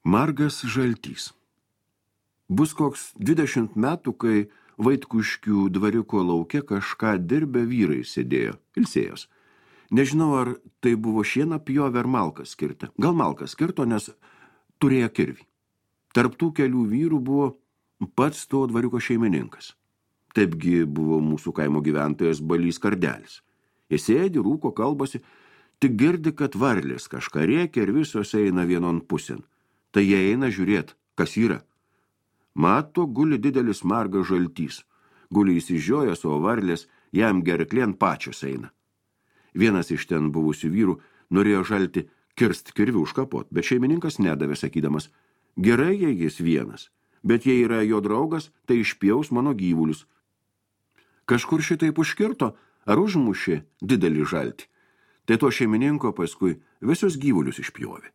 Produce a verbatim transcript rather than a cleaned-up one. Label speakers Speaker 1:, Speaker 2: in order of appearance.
Speaker 1: Margas žaltys. Bus koks dvidešimt metų, kai Vaitkuškių dvariuko lauke kažką dirbę vyrai sėdėjo, ilsėjos. Nežinau, ar tai buvo šieną pjovę ar malkas skirta. Gal malkas skirto, nes turėjo kirvį. Tarp tų kelių vyrų buvo pats to dvariuko šeimininkas. Taipgi buvo mūsų kaimo gyventojas Balys Kardelis. Jis sėdi, rūko, kalbasi, tik girdi, kad varlės kažką rėkia ir visos eina vienon pusėn. Tai jie eina žiūrėt, kas yra. Mato, guli didelis margas žaltys. Guli įsižiojęs, o varlės jam gerklien pačios eina. Vienas iš ten buvusių vyrų norėjo žalti kirst kirvių užkapot, bet šeimininkas nedavė, sakydamas, gerai, jei jis vienas, bet jei yra jo draugas, tai išpjaus mano gyvulius. Kažkur šitaip užkirto ar užmušė didelį žaltį. Tai to šeimininko paskui visus gyvulius išpjovė.